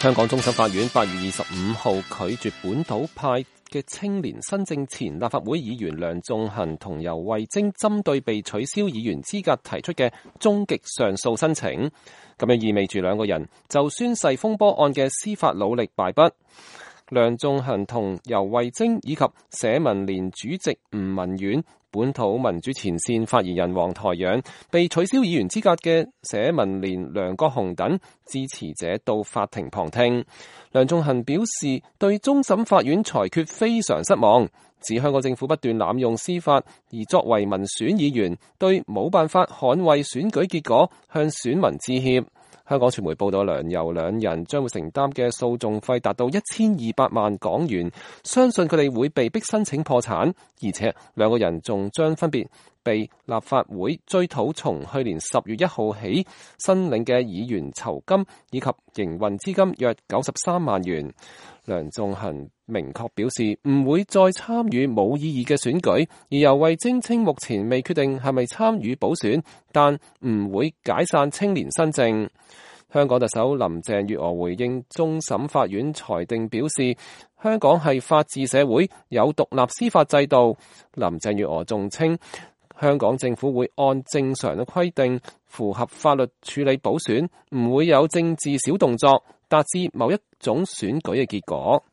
香港終審法院8月25號拒絕本土派嘅青年新政前立法會議員梁頌恆同游蕙禎針對被取消議員資格提出嘅終極上訴申請，咁樣意味住兩個人就宣誓風波案嘅司法努力敗筆。梁頌恆同游蕙禎以及社民連主席吳文遠、本土民主前線發言人黃台仰、被取消議員資格嘅社民連梁國雄等支持者到法庭旁聽。梁頌恆表示對終審法院裁決非常失望，指香港政府不斷濫用司法，而作為民選議員對冇辦法捍衛選舉結果向選民致歉。香港傳媒報道，梁游兩人將會承擔嘅訴訟費達到1200萬港元，相信佢哋會被逼申請破產，而且兩個人仲將分別被立法會追討從去年10月1號起申領嘅議員酬金以及營運資金約93萬元。梁頌恆明確表示唔會再參與冇意義嘅選舉，而游蕙禎稱目前未決定係咪參與補選，但唔會解散青年新政。香港特首林鄭月娥回應終審法院裁定表示，香港係法治社會，有獨立司法制度。林鄭月娥仲稱，香港政府會按正常嘅規定，符合法律處理補選，唔會有政治小動作，達至某一種選舉嘅結果。